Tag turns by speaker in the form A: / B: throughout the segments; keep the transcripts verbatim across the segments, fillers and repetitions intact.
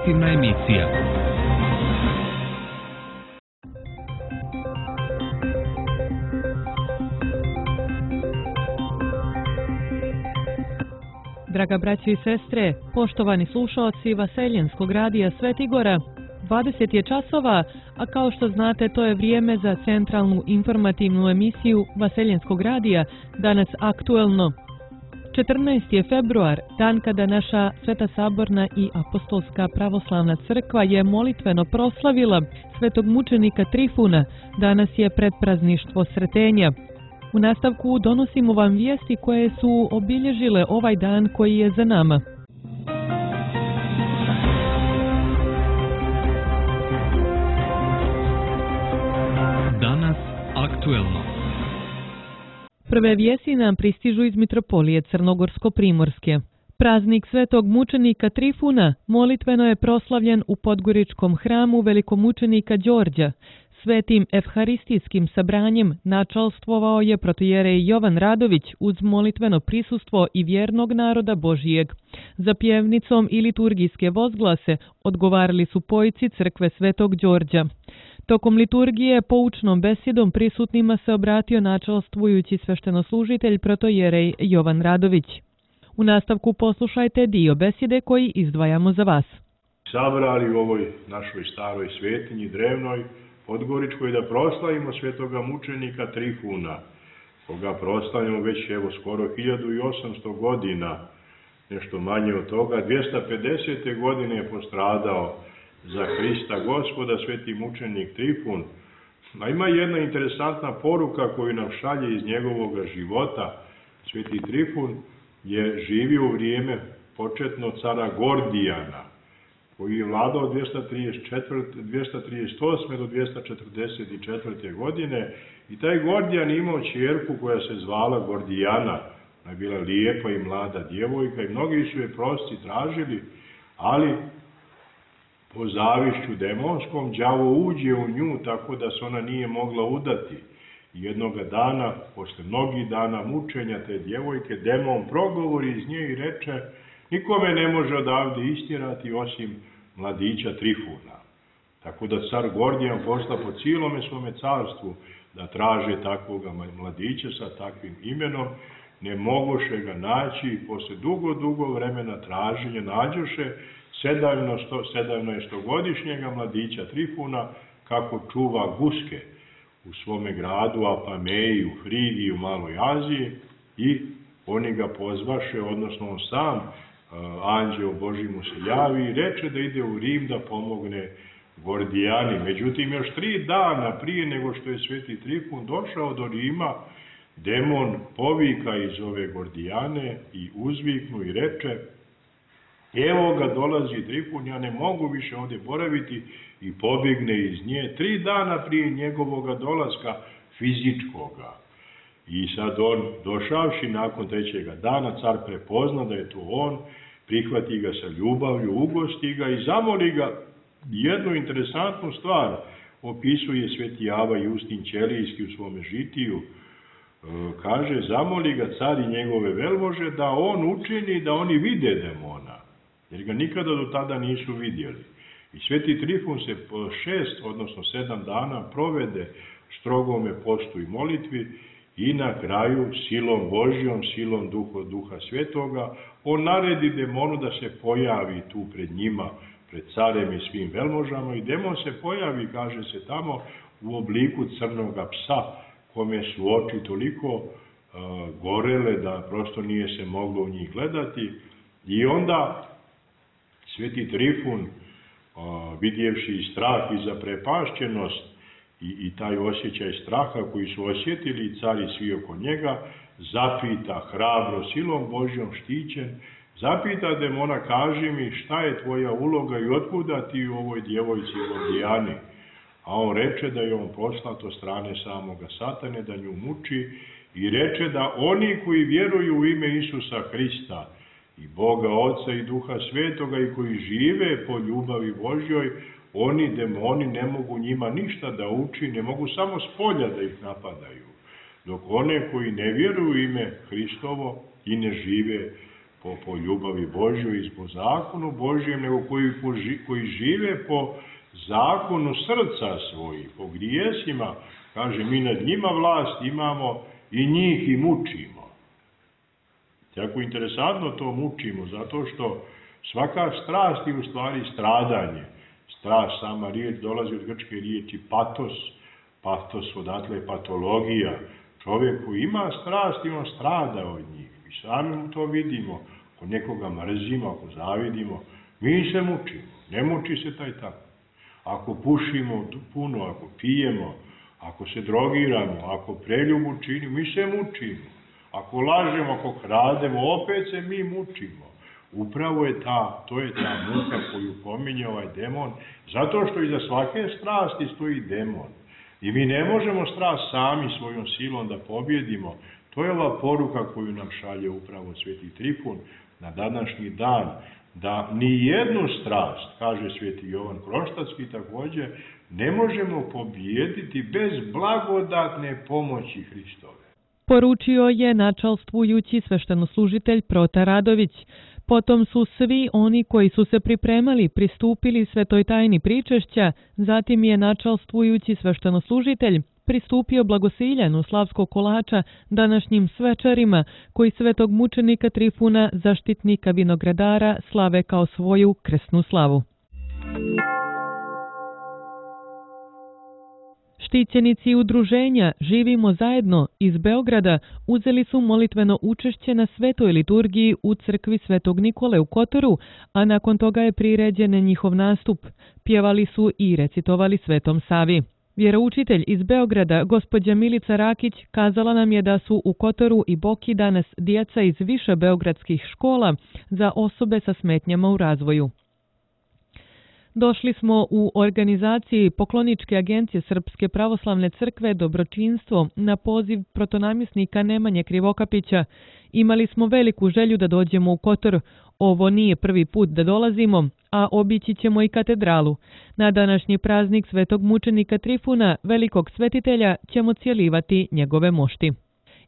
A: informativna emisija.
B: Draga braćo i sestre, poštovani slušaoci Vaseljenskog radija Svetigora, dvadeset je časova, a kao što znate to je vrijeme za centralnu informativnu emisiju Vaseljenskog radija, danas aktuelno. četrnaesti je februar, dan kada naša Sveta Saborna i Apostolska pravoslavna crkva je molitveno proslavila svetog mučenika Trifuna, danas je predprazništvo Sretenja. U nastavku donosimo vam vijesti koje su obilježile ovaj dan koji je za nama.
A: Danas aktuelno.
B: Prve vijesti nam pristižu iz Mitropolije Crnogorsko-Primorske. Praznik svetog mučenika Trifuna molitveno je proslavljen u Podgoričkom hramu velikomučenika Đorđa. Svetim evharistijskim sabranjem načalstvovao je protojerej Jovan Radović uz molitveno prisustvo i vjernog naroda Božijeg. Za pjevnicom i liturgijske vozglase odgovarali su pojci crkve Svetog Đorđa. Tokom liturgije poučnom besjedom prisutnima se obratio načalstvujući sveštenoslужitelj protojerej Jovan Radović. U nastavku poslušajte dio besjede koji izdvajamo za vas.
C: Sabrali u ovoj našoj staroj svetinji drevnoj Podgoričkoj da proslavimo svetoga mučenika Trifuna, koga proslavljamo već evo skoro hiljadu osamsto godina, nešto manje od toga. dvjesto pedesete godine je postradao za Hrista Gospoda sveti mučenik Trifun. A ima jedna interesantna poruka koju nam šalje iz njegovog života. Sveti Trifun je živio u vrijeme početno cara Gordijana, koji je vladao dvjesto trideset osme do dvjesto četrdeset četvrte godine, i taj Gordijan imao ćerku koja se zvala Gordijana. Ona je bila lijepa i mlada djevojka i mnogi su je prosci tražili, ali po zavišću demonskom đavo uđe u nju tako da se ona nije mogla udati. Jednoga dana, posle mnogih dana mučenja te djevojke, demon progovori iz nje i reče: nikome ne može odavde istjerati osim mladića Trifuna. Tako da car Gordijan posla po cijelome svome carstvu da traže takvoga mladića sa takvim imenom. Ne mogoše ga naći i posle dugo, dugo vremena traženja nađoše sedamnaestogodišnjega mladića Trifuna kako čuva guske u svome gradu Apameji, u Frigiji, u Maloj Aziji, i oni ga pozvaše, odnosno on sam, anđeo Božji mu se javi i reče da ide u Rim da pomogne Gordijani. Međutim, još tri dana prije nego što je sveti Trifun došao do Rima, demon povika iz ove Gordijane i uzviknu i reče: evo ga dolazi Trifun, ja ne mogu više ovdje boraviti, i pobigne iz nje tri dana prije njegovoga dolaska fizičkoga. I sad on, došavši nakon trećega dana, car prepozna da je to on, prihvati ga sa ljubavlju, ugosti ga i zamoli ga. Jednu interesantnu stvar opisuje sveti Ava Justin Ćelijski u svome žitiju. Kaže, zamoli ga car i njegove velmože da on učini da oni vide demona, jer ga nikada do tada nisu vidjeli. I sveti Trifun se po šest, odnosno sedam dana provede strogome postu i molitvi, i na kraju silom Božjom, silom duha, duha svetoga, on naredi demonu da se pojavi tu pred njima, pred carem i svim velmožama, i demon se pojavi, kaže se tamo, u obliku crnoga psa, kome su oči toliko uh, gorele da prosto nije se moglo u njih gledati. I onda sveti Trifun, uh, vidjevši i strah i zaprepašćenost, I, i taj osjećaj straha koji su osjetili i cari svi oko njega, zapita hrabro, silom Božjom štićen, zapita demona: kaži mi, šta je tvoja uloga i otkuda ti u ovoj djevojci Gordijani? A on reče da je on poslat od strane samoga Satane da nju muči, i reče da oni koji vjeruju u ime Isusa Hrista i Boga Oca i Duha Svetoga i koji žive po ljubavi Božjoj, oni, demoni, ne mogu njima ništa da uči, ne mogu samo s polja da ih napadaju. Dok one koji ne vjeruju u ime Hristovo i ne žive po, po ljubavi Božjoj i po zakonu Božjem, nego koji, koji žive po zakonu srca svojih, po grijesima. Kaže, mi nad njima vlast imamo i njih i mučimo. Jako interesantno to mučimo, zato što svaka strast je u stvari stradanje. Strast, sama riječ dolazi od grčke riječi patos, patos odatle je patologija. Čovjek koji ima strast i on strada od njih. Mi sami to vidimo, ako nekoga mrzimo, ako zavidimo, mi se mučimo, ne muči se taj tako. Ako pušimo puno, ako pijemo, ako se drogiramo, ako preljubu činimo, mi se mučimo. Ako lažemo, ako krademo, opet se mi mučimo. Upravo je ta, to je ta muka koju pominje ovaj demon, zato što iza svake strasti stoji demon. I mi ne možemo strast sami svojom silom da pobjedimo. To je ova poruka koju nam šalje upravo Sveti Trifun na današnji dan, da ni jednu strast, kaže Sveti Jovan Kroštatski također, ne možemo pobijediti bez blagodatne pomoći Hristove.
B: Poručio je načalstvujući sveštenoslužitelj Protar Radović. Potom su svi oni koji su se pripremali pristupili svetoj tajni pričešća, zatim je načalstvujući sveštenoslužitelj pristupio blagosiljanu slavskog kolača današnjim svečarima koji svetog mučenika Trifuna, zaštitnika vinogradara, slave kao svoju krsnu slavu. Štićenici udruženja Živimo zajedno iz Beograda uzeli su molitveno učešće na svetoj liturgiji u crkvi Svetog Nikole u Kotoru, a nakon toga je priređen njihov nastup. Pjevali su i recitovali Svetom Savi. Vjeroučitelj iz Beograda, gospođa Milica Rakić, kazala nam je da su u Kotoru i Boki danas djeca iz više beogradskih škola za osobe sa smetnjama u razvoju. Došli smo u organizaciji Pokloničke agencije Srpske pravoslavne crkve Dobročinstvo na poziv protonamjesnika Nemanje Krivokapića. Imali smo veliku želju da dođemo u Kotor. Ovo nije prvi put da dolazimo, a obići ćemo i katedralu. Na današnji praznik svetog mučenika Trifuna, velikog svetitelja, ćemo cijelivati njegove mošti.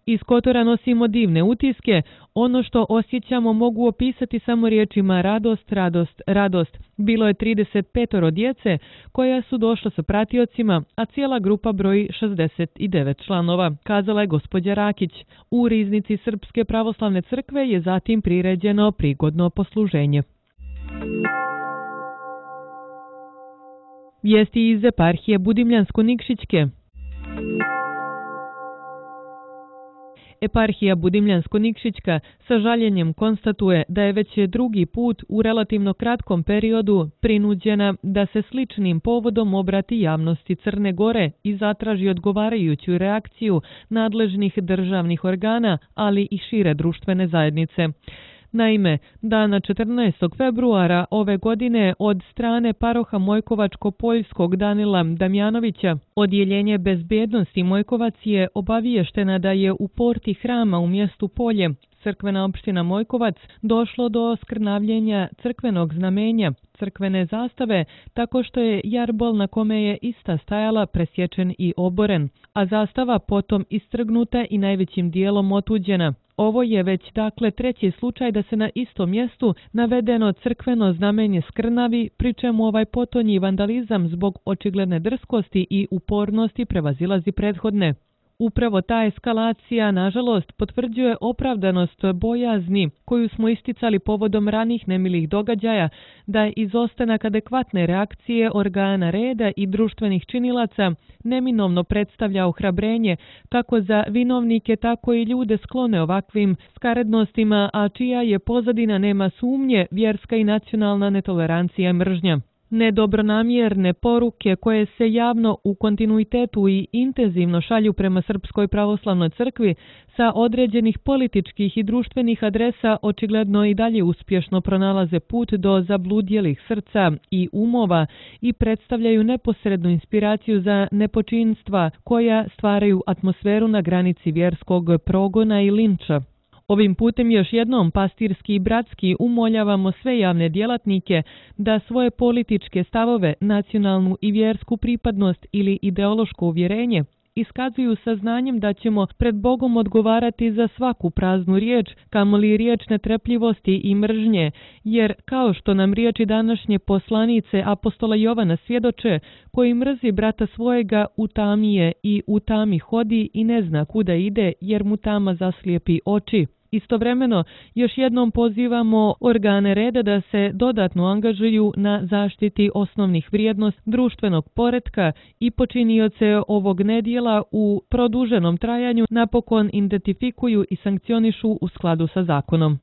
B: Iz Kotora nosimo divne utiske, ono što osjećamo mogu opisati samo riječima radost, radost, radost. Bilo je trideset pet djece koja su došla sa pratiocima, a cijela grupa broji šezdeset devet članova, kazala je gospođa Rakić. U riznici Srpske pravoslavne crkve je zatim priređeno prigodno posluženje. Vijesti iz eparhije Budimljansko-Nikšićke. Eparhija Budimljansko-Nikšićka sa žaljenjem konstatuje da je već drugi put u relativno kratkom periodu prinuđena da se sličnim povodom obrati javnosti Crne Gore i zatraži odgovarajuću reakciju nadležnih državnih organa, ali i šire društvene zajednice. Naime, dana četrnaestog februara ove godine od strane paroha Mojkovačko-Poljskog Danila Damjanovića, odjeljenje bezbjednosti Mojkovac je obaviještena da je u porti hrama u mjestu Polje, crkvena opština Mojkovac, došlo do skrnavljenja crkvenog znamenja, crkvene zastave, tako što je jarbol na kome je ista stajala presječen i oboren, a zastava potom istrgnuta i najvećim dijelom otuđena. Ovo je već dakle treći slučaj da se na istom mjestu navedeno crkveno znamenje skrnavi, pri čemu ovaj potonji vandalizam zbog očigledne drskosti i upornosti prevazilazi prethodne. Upravo ta eskalacija, nažalost, potvrđuje opravdanost bojazni koju smo isticali povodom ranih nemilih događaja, da je izostanak adekvatne reakcije organa reda i društvenih činilaca neminovno predstavlja ohrabrenje kako za vinovnike, tako i ljude sklone ovakvim skarednostima, a čija je pozadina, nema sumnje, vjerska i nacionalna netolerancija i mržnja. Nedobronamjerne poruke koje se javno u kontinuitetu i intenzivno šalju prema Srpskoj pravoslavnoj crkvi sa određenih političkih i društvenih adresa očigledno i dalje uspješno pronalaze put do zabludjelih srca i umova i predstavljaju neposrednu inspiraciju za nepočinstva koja stvaraju atmosferu na granici vjerskog progona i linča. Ovim putem još jednom pastirski i bratski umoljavamo sve javne djelatnike da svoje političke stavove, nacionalnu i vjersku pripadnost ili ideološko uvjerenje iskazuju saznanjem da ćemo pred Bogom odgovarati za svaku praznu riječ, kamoli riječ netrpljivosti i mržnje, jer kao što nam riječi današnje poslanice apostola Jovana svjedoče, koji mrzi brata svojega u tami je i u tami hodi i ne zna kuda ide, jer mu tama zaslijepi oči. Istovremeno, još jednom pozivamo organe reda da se dodatno angažuju na zaštiti osnovnih vrijednosti društvenog poretka i počinioce ovog nedjela u produženom trajanju napokon identifikuju i sankcionišu u skladu sa zakonom.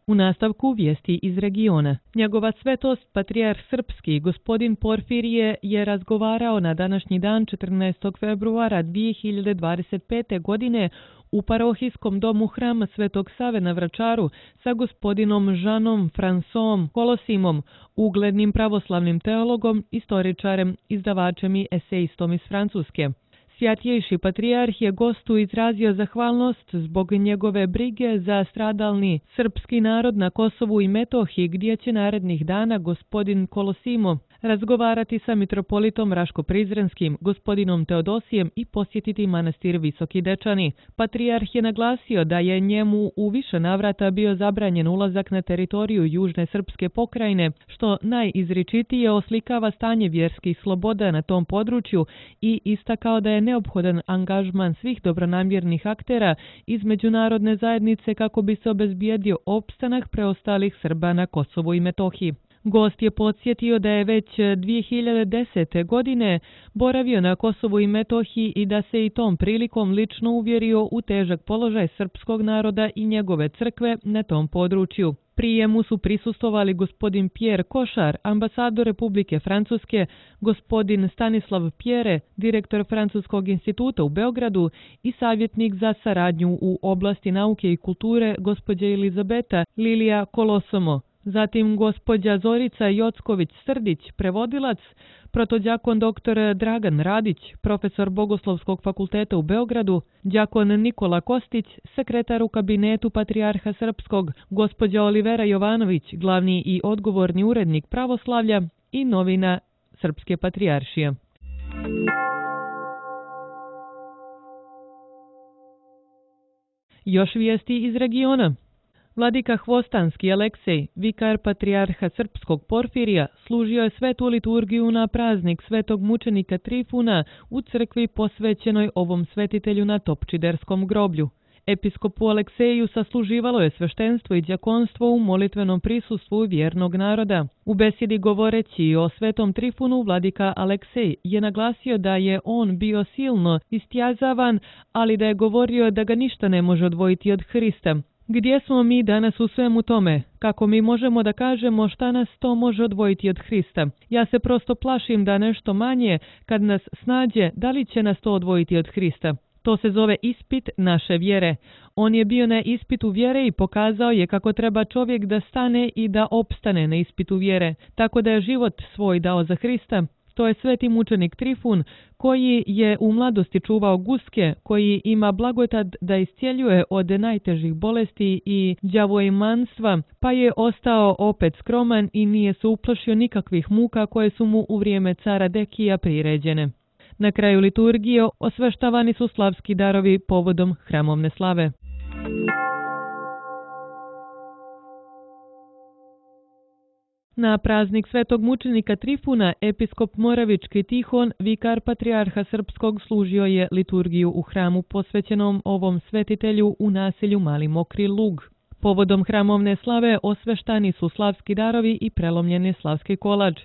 B: U nastavku vijesti iz regiona. Njegova svetost, patrijarh srpski, gospodin Porfirije, je razgovarao na današnji dan četrnaestog februara dvije hiljade dvadeset pete. godine u parohijskom domu hrama Svetog Save na Vračaru sa gospodinom Žanom Fransom Kolosimom, uglednim pravoslavnim teologom, istoričarem, izdavačem i esejistom iz Francuske. Svjatjejši patrijarh je gostu izrazio zahvalnost zbog njegove brige za stradalni srpski narod na Kosovu i Metohiji, gdje će narednih dana gospodin Kolosimo razgovarati sa mitropolitom Raško-Prizrenskim, gospodinom Teodosijem i posjetiti manastir Visoki Dečani. Patrijarh je naglasio da je njemu u više navrata bio zabranjen ulazak na teritoriju Južne srpske pokrajine, što najizričitije oslikava stanje vjerskih sloboda na tom području i istakao da je neophodan angažman svih dobronamjernih aktera iz međunarodne zajednice kako bi se obezbijedio opstanak preostalih Srba na Kosovu i Metohiji. Gost je podsjetio da je već dvije hiljade desete. godine boravio na Kosovu i Metohiji i da se i tom prilikom lično uvjerio u težak položaj srpskog naroda i njegove crkve na tom području. Prijemu su prisustvovali gospodin Pierre Košar, ambasador Republike Francuske, gospodin Stanislav Pjere, direktor Francuskog instituta u Beogradu i savjetnik za saradnju u oblasti nauke i kulture gospođa Elizabeta Lilija Kolosomo. Zatim gospođa Zorica Jocković-Srdić, prevodilac, protodjakon doktor Dragan Radić, profesor Bogoslovskog fakulteta u Beogradu, djakon Nikola Kostić, sekretar u kabinetu Patrijarha Srpskog, gospođa Olivera Jovanović, glavni i odgovorni urednik pravoslavlja i novina Srpske patrijaršije. Još vijesti iz regiona. Vladika Hvostanski Aleksej, vikar patrijarha srpskog Porfirija, služio je svetu liturgiju na praznik svetog mučenika Trifuna u crkvi posvećenoj ovom svetitelju na Topčiderskom groblju. Episkopu Alekseju sasluživalo je sveštenstvo i đakonstvo u molitvenom prisustvu vjernog naroda. U besjedi govoreći o svetom Trifunu, vladika Aleksej je naglasio da je on bio silno istjazavan, ali da je govorio da ga ništa ne može odvojiti od Hrista. Gdje smo mi danas u svemu tome? Kako mi možemo da kažemo šta nas to može odvojiti od Hrista? Ja se prosto plašim da nešto manje, kad nas snađe, da li će nas to odvojiti od Hrista? To se zove ispit naše vjere. On je bio na ispitu vjere i pokazao je kako treba čovjek da stane i da opstane na ispitu vjere, tako da je život svoj dao za Hrista. To je sveti mučenik Trifun, koji je u mladosti čuvao guske, koji ima blagodat da iscijeljuje od najtežih bolesti i đavoimanstva, pa je ostao opet skroman i nije se uplašio nikakvih muka koje su mu u vrijeme cara Dekija priređene. Na kraju liturgije osveštavani su slavski darovi povodom hramovne slave. Na praznik svetog mučenika Trifuna, episkop Moravički Tihon, vikar patrijarha srpskog, služio je liturgiju u hramu posvećenom ovom svetitelju u naselju Mali Mokri Lug. Povodom hramovne slave osveštani su slavski darovi i prelomljeni slavski kolač.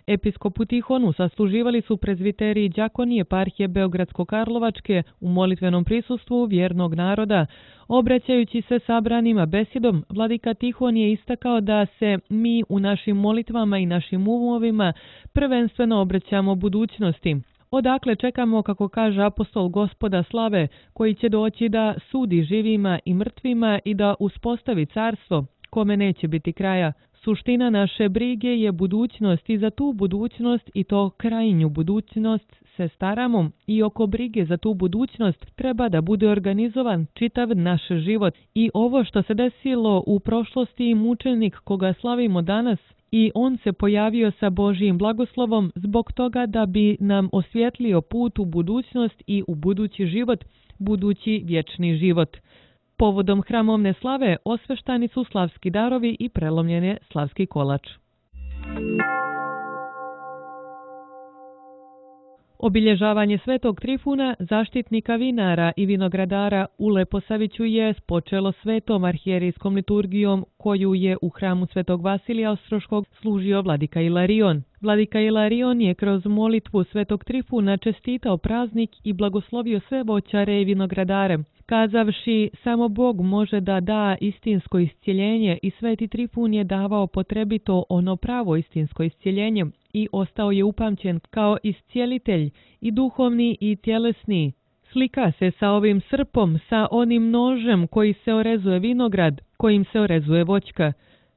B: Episkopu Tihonu sasluživali su prezviteri i đakoni eparhije Beogradsko-Karlovačke u molitvenom prisustvu vjernog naroda. Obraćajući se sabranima besjedom, vladika Tihon je istakao da se mi u našim molitvama i našim umovima prvenstveno obraćamo budućnosti. Odakle čekamo, kako kaže apostol Gospoda slave, koji će doći da sudi živima i mrtvima i da uspostavi carstvo, kome neće biti kraja. Suština naše brige je budućnost i za tu budućnost i to krajnju budućnost se staramo i oko brige za tu budućnost treba da bude organizovan čitav naš život. I ovo što se desilo u prošlosti i mučenik koga slavimo danas i on se pojavio sa Božjim blagoslovom zbog toga da bi nam osvjetlio put u budućnost i u budući život, budući vječni život. Povodom hramovne slave osveštani su slavski darovi i prelomljen je slavski kolač. Obilježavanje Svetog Trifuna, zaštitnika vinara i vinogradara u Leposaviću je počelo svetom arhijerijskom liturgijom koju je u hramu Svetog Vasilija Ostroškog služio vladika Ilarion. Vladika Ilarion je kroz molitvu Svetog Trifuna čestitao praznik i blagoslovio sve voćare i vinogradare, kazavši samo Bog može da da istinsko iscjeljenje i Sveti Trifun je davao potrebito ono pravo istinsko iscjeljenje i ostao je upamćen kao iscijelitelj i duhovni i tjelesni. Slika se sa ovim srpom, sa onim nožem koji se orezuje vinograd, kojim se orezuje voćka.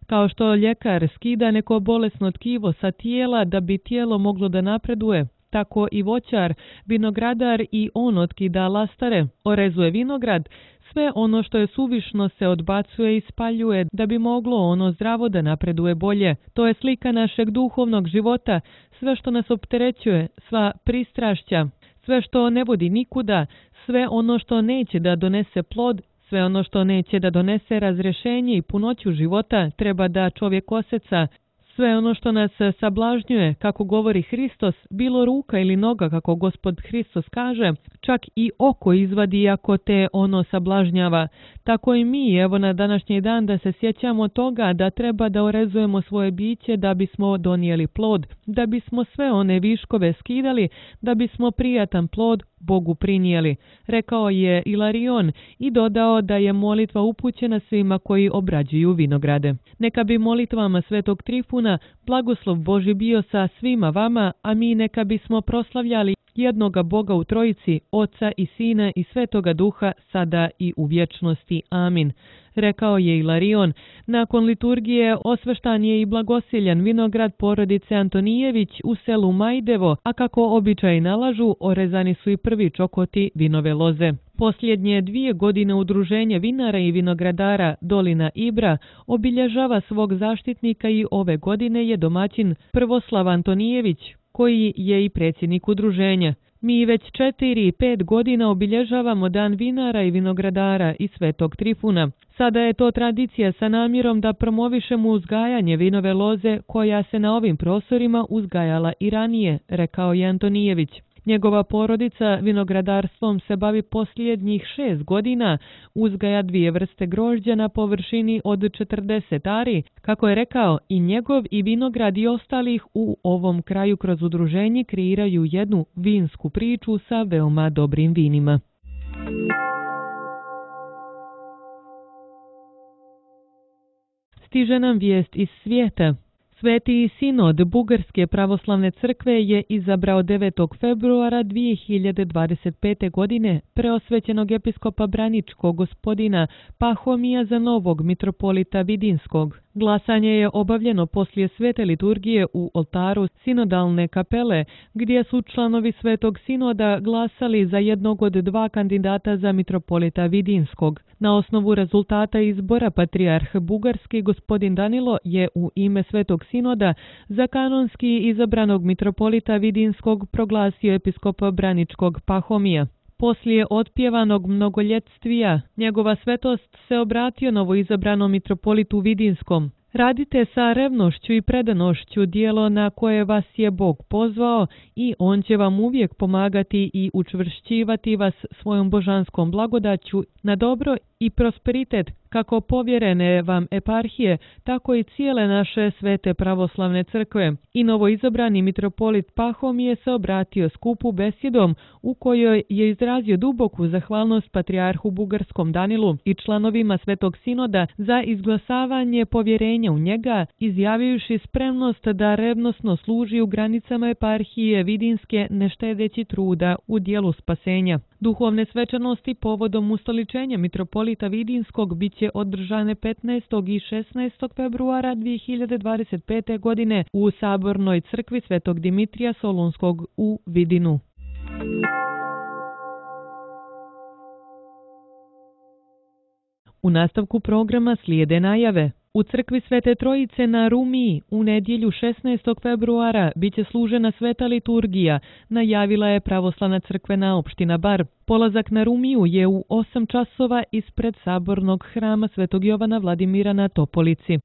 B: Kao što ljekar skida neko bolesno tkivo sa tijela da bi tijelo moglo da napreduje, tako i voćar, vinogradar i on otkida lastare, orezuje vinograd, sve ono što je suvišno se odbacuje i spaljuje da bi moglo ono zdravo da napreduje bolje. To je slika našeg duhovnog života, sve što nas opterećuje, sva pristrašća, sve što ne vodi nikuda, sve ono što neće da donese plod, sve ono što neće da donese razrješenje i punoću života treba da čovjek oseca. Sve ono što nas sablažnjuje, kako govori Hristos, bilo ruka ili noga, kako Gospod Hristos kaže, čak i oko izvadi ako te ono sablažnjava. Tako i mi, evo na današnji dan, da se sjećamo toga da treba da orezujemo svoje biće da bismo donijeli plod, da bismo sve one viškove skidali, da bismo prijatan plod Bogu prinijeli, rekao je Ilarion i dodao da je molitva upućena svima koji obrađuju vinograde. Neka bi molitvama Svetog Trifuna blagoslov Božji bio sa svima vama, a mi neka bismo proslavljali jednoga Boga u Trojici, Oca i Sina i Svetoga Duha, sada i u vječnosti. Amin. Rekao je Ilarion. Nakon liturgije osveštan je i blagosiljan vinograd porodice Antonijević u selu Majdevo, a kako običaji nalažu, orezani su i prvi čokoti vinove loze. Posljednje dvije godine udruženje vinara i vinogradara Dolina Ibra obilježava svog zaštitnika i ove godine je domaćin Prvoslav Antonijević, koji je i predsjednik udruženja. Mi već četiri i pet godina obilježavamo Dan vinara i vinogradara i Svetog Trifuna. Sada je to tradicija sa namjerom da promovišemo uzgajanje vinove loze koja se na ovim prostorima uzgajala i ranije, rekao je Antonijević. Njegova porodica vinogradarstvom se bavi posljednjih šest godina, uzgaja dvije vrste grožđa na površini od četrdeset ari, kako je rekao, i njegov i vinograd i ostalih u ovom kraju kroz udruženje kreiraju jednu vinsku priču sa veoma dobrim vinima. Stiže nam vijest iz svijeta. Sveti sinod Bugarske pravoslavne crkve je izabrao devetog februara dvije hiljade dvadeset pete. godine preosvećenog episkopa Braničkog gospodina Pahomija za novog mitropolita Vidinskog. Glasanje je obavljeno poslije svete liturgije u oltaru sinodalne kapele, gdje su članovi Svetog sinoda glasali za jednog od dva kandidata za mitropolita Vidinskog. Na osnovu rezultata izbora patrijarh Bugarski gospodin Danilo je u ime Svetog sinoda za kanonski izabranog mitropolita Vidinskog proglasio episkopa Braničkog Pahomija. Poslije otpjevanog mnogoljetvija, njegova svetost se obratio novoizabranom mitropolitu Vidinskom. Radite sa revnošću i predanošću djelo na koje vas je Bog pozvao i On će vam uvijek pomagati i učvršćivati vas svojom božanskom blagodaću na dobro i prosperitet, kako povjerene vam eparhije, tako i cijele naše svete pravoslavne crkve. I novoizabrani mitropolit Pahomije se obratio skupu besjedom u kojoj je izrazio duboku zahvalnost patrijarhu Bugarskom Danilu i članovima Svetog sinoda za izglasavanje povjerenja u njega, izjavivši spremnost da revnosno služi u granicama eparhije Vidinske ne štedeći truda u dijelu spasenja. Duhovne svečanosti povodom ustoličenja mitropolita Vidinskog bit će održane petnaestog i šesnaestog februara dvije hiljade dvadeset pete. godine u Sabornoj crkvi Svetog Dimitrija Solunskog u Vidinu. U nastavku programa slijede najave. U crkvi Svete Trojice na Rumiji u nedjelju šesnaestog februara biće služena sveta liturgija, najavila je pravoslavna crkvena opština Bar. Polazak na Rumiju je u osam časova ispred sabornog hrama Svetog Jovana Vladimira na Topolici.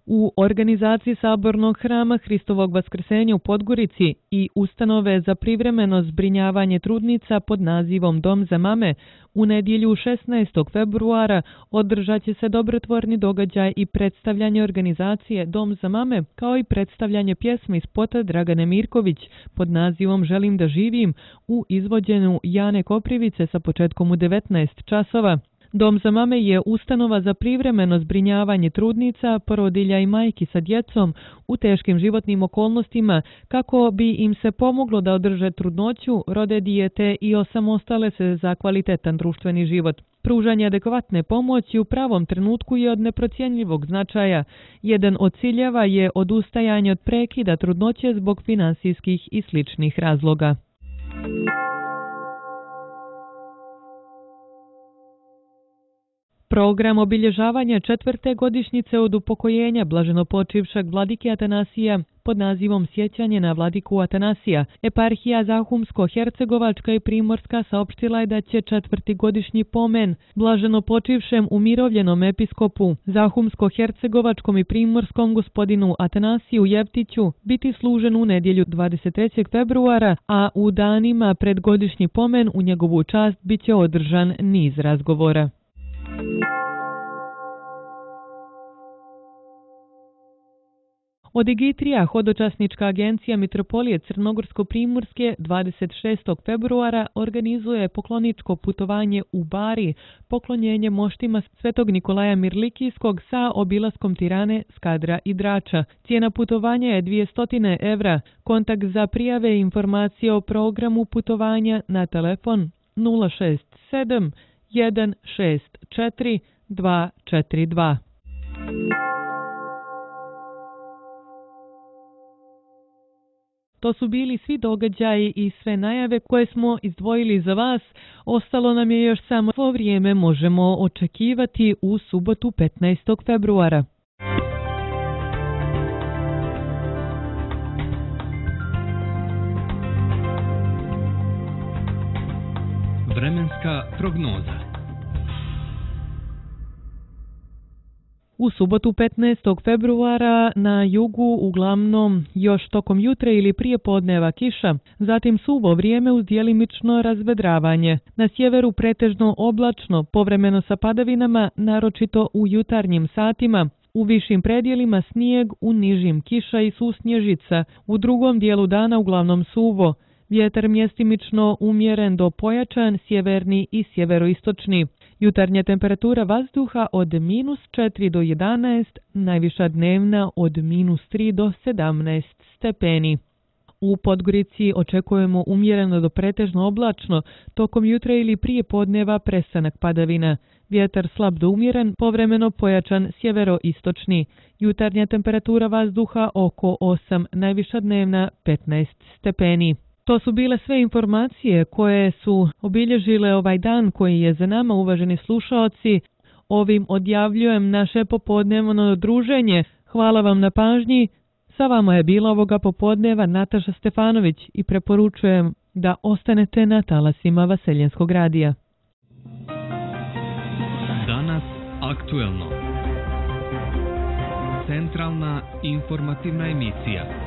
B: U organizaciji sabornog hrama Hristovog vaskrsenja u Podgorici i ustanove za privremeno zbrinjavanje trudnica pod nazivom Dom za mame u nedjelju šesnaestog februara održat će se dobrotvorni događaj i predstavljanje organizacije Dom za mame, kao i predstavljanje pjesme iz spota Dragane Mirković pod nazivom Želim da živim u izvođenju Jane Koprivice sa početkom u devetnaest časova. Dom za mame je ustanova za privremeno zbrinjavanje trudnica, porodilja i majki sa djecom u teškim životnim okolnostima kako bi im se pomoglo da održe trudnoću, rode dijete i osamostale se za kvalitetan društveni život. Pružanje adekvatne pomoći u pravom trenutku je od neprocjenjivog značaja. Jedan od ciljeva je odustajanje od prekida trudnoće zbog finansijskih i sličnih razloga. Program obilježavanja četvrte godišnjice od upokojenja blaženopočivšeg vladike Atanasija pod nazivom Sjećanje na vladiku Atanasija, eparhija Zahumsko-Hercegovačka i Primorska saopštila je da će četvrti godišnji pomen blaženopočivšem umirovljenom episkopu Zahumsko-Hercegovačkom i Primorskom gospodinu Atanasiju Jevtiću biti služen u nedjelju dvadeset trećeg februara, a u danima pred godišnji pomen u njegovu čast biće održan niz razgovora. Odigitrija, hodočasnička agencija Mitropolije Crnogorsko-Primorske, dvadeset šestog februara organizuje pokloničko putovanje u Bari, poklonjenje moštima Svetog Nikolaja Mirlikijskog sa obilaskom Tirane, Skadra i Drača. Cijena putovanja je dvjesto evra. Kontakt za prijave i informacije o programu putovanja na telefon nula šest sedam jedan šest četiri dva četiri dva. To su bili svi događaji i sve najave koje smo izdvojili za vas. Ostalo nam je još samo svo vrijeme možemo očekivati u subotu petnaestog februara.
A: Vremenska prognoza.
B: U subotu petnaestog februara na jugu uglavnom još tokom jutra ili prije podneva kiša, zatim suvo vrijeme uz djelimično razvedravanje. Na sjeveru pretežno oblačno, povremeno sa padavinama, naročito u jutarnjim satima. U višim predjelima snijeg, u nižim kiša i susnježica. U drugom dijelu dana uglavnom suvo. Vjetar mjestimično umjeren do pojačan, sjeverni i sjeveroistočni. Jutarnja temperatura vazduha od minus četiri do jedanaest, najviša dnevna od minus tri do sedamnaest stepeni. U Podgorici očekujemo umjereno do pretežno oblačno, tokom jutra ili prije podneva prestanak padavina. Vjetar slab do umjeren, povremeno pojačan sjeveroistočni. Jutarnja temperatura vazduha oko osam, najviša dnevna petnaest stepeni. To su bile sve informacije koje su obilježile ovaj dan koji je za nama, uvaženi slušaoci. Ovim odjavljujem naše popodnevno druženje. Hvala vam na pažnji. Sa vama je bila ovoga popodneva Nataša Stefanović i preporučujem da ostanete na talasima Vaseljenskog radija.
A: Danas aktuelno. Centralna informativna emisija.